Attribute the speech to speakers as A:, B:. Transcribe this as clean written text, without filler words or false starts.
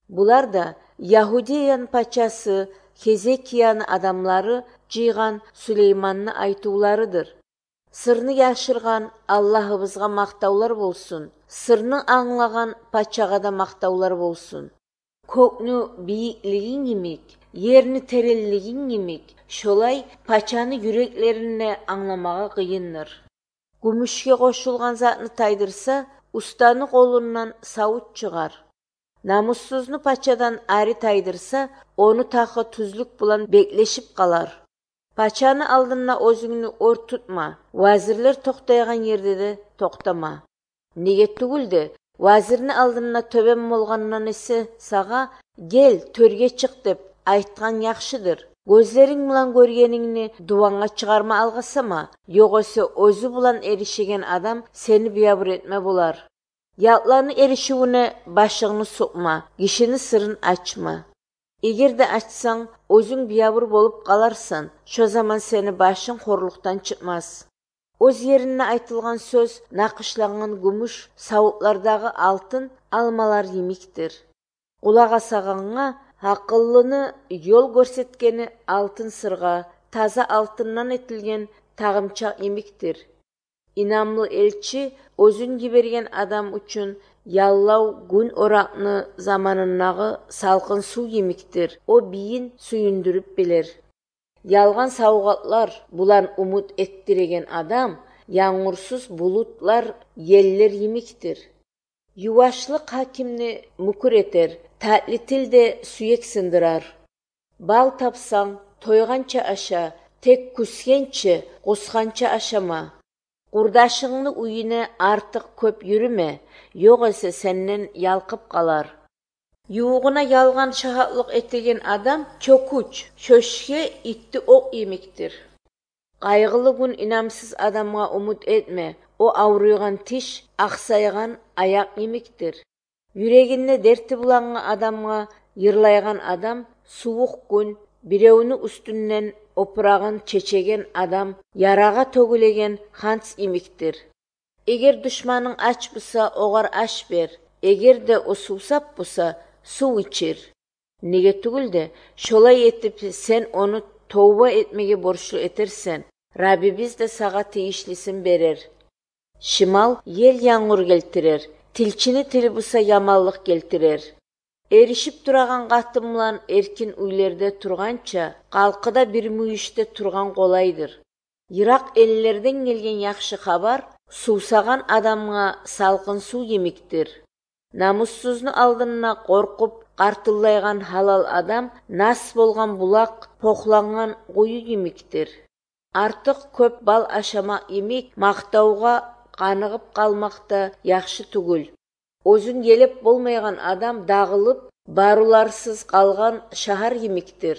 A: Булар да Яһудиянын пачасы Хезекиянын адамлары жыйган Сулеймандын айтууларыдыр. Сырны яшырган Аллахыбызга мактаулар болсун. Сырны аңлаган пачага да мактаулар болсун. Көкнү бийиклигиң имик, жерни тереллигиң имик. Шолай пачаны юреклерине аңламага кыйындыр. Күмүшкө кошулган затны тайдырса, устаны колунан сабут чыгар. Намуссузну пачадан ари тайдырса, ону такы түзлүк булан беклешип калар. Пачаны алдына өзүңнү ор тутма, вазирлер токтойган жерде де токтома. Неге түгүлдү, вазирни алдына төбем болгоннан эсе сага кел төргө чык деп айткан жакшыдыр. Көзлериң менен көргениңни дубаңга чыгарма алгасама, жогосо өзү булан эришеген адам сени биябыр этме болар. Ятланы эришүүнө башыңны сукма, кишини сырын ачма. Эгерде ачсаң, өзүң биябыр болуп каларсың. Шо заман сени башың хорлуктан чыкмас. Өз жерине айтылган сөз накышланган күмүш, сабутлардагы алтын алмалар имиктир. Кулак асаганга акыллыны жол көрсөткени алтын сырга, таза алтындан этилген тагымчак имиктир. Инамлы элчи өзүн жиберген адам үчүн яллау күн оракны заманынагы салкын суу имиктир. О бийин сүйүндүрүп билер. Ялган саугатлар булан умут эттиреген адам, яңгырсыз булутлар еллер имиктир. Ювашлык хакимни мүкүр этер, татлы тилде сүйек сындырар. Бал тапсаң, тойганча аша, тек күскенче, кусканча ашама. Курдашыңны үйүнө артык көп жүрүмө, жогосо сенден ялкып калар. Юугуна ялган шагатлык этилген адам чокуч, чөшкө итти ок имиктир. Кайгылуу күн инамсыз адамга умут этме, о ауруйган тиш, аксайган аяк имиктир. Юрегинде дерти буланган адамга йырлайган адам суук күн, бирөөнү үстүнөн опурагын чечеген адам ярага төгүлеген ханс имиктир. Эгер душманың ач буса, огар аш бер. Эгерде о суусап буса, суу ичир. Неге түгүлдү, шолай этип сен ону тооба этмеге борчулуу этерсен, Раббибиз да сага тийишлисин берер. Шымал ел яңгыр келтирер, тилчини тили буса ямаллык келтирер. Эришип тураган катын менен эркин үйлөрдө турганча, калкыда бир мүйүштө турган колайдыр. Ирак эллерден келген жакшы кабар суусаган адамга салкын суу имиктир. Намуссузну алдына коркуп картылдайган халал адам нас болгон булак, покланган кую имиктир. Артык көп бал ашамак имик мактауга каныгып калмакта жакшы түгүл. Өзүн келеп болмойгон адам дагылып, баруларсыз калган шаар имиктир.